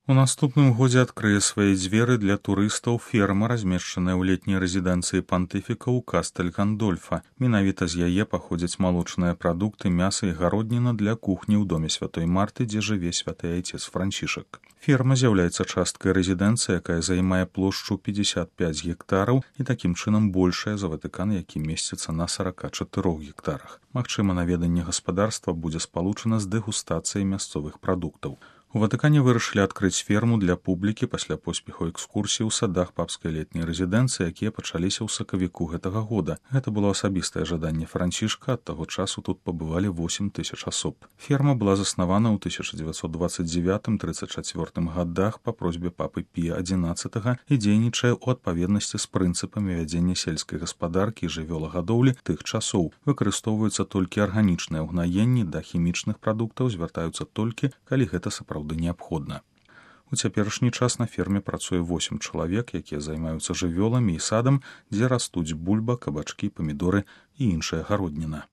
У наступным годзе адкрые свае дзверы для турыстаў ферма, размешчаная ў летняй рэзідэнцыі пантыфіка ў Кастэль-Гандольфа. Менавіта з яе паходзяць малочныя прадукты, мяса і гародніна для кухні ў доме святой Марты, дзе жыве святы айцец Францішак. Ферма з'яўляецца часткай рэзідэнцыі, якая займае плошчу 55 гектараў і такім чынам большая за Ватыкан, які месціцца на 44 гектарах. Магчыма, наведанне гаспадарства будзе спалучана з дэгустацыяй мясцовых прадуктаў. У Ватыкане вырашылі адкрыць ферму для публікі пасля поспеху экскурсій у садах папскай летняй рэзідэнцыі, якія пачаліся ў сакавіку гэтага года. Гэта было асабістае жаданне Францішка, ад таго часу тут пабывалі 8 тысяч асоб. Ферма была заснавана ў 1929-34 гадах па просьбе папы Пія XI і дзейнічае ў адпаведнасці з прынцыпамі вядзення сельскай гаспадаркі і жывёлагадоўлі тых часоў. Выкарыстоўваюцца толькі арганічныя ўгнаенні, да хімічных прадуктаў звяртаюцца толькі, калі гэта сапраўды неабходна. У цяперашні час на ферме працуе 8 чалавек, якія займаюцца жывёламі і садам, дзе растуць бульба, кабачкі, памідоры і іншая гародніна.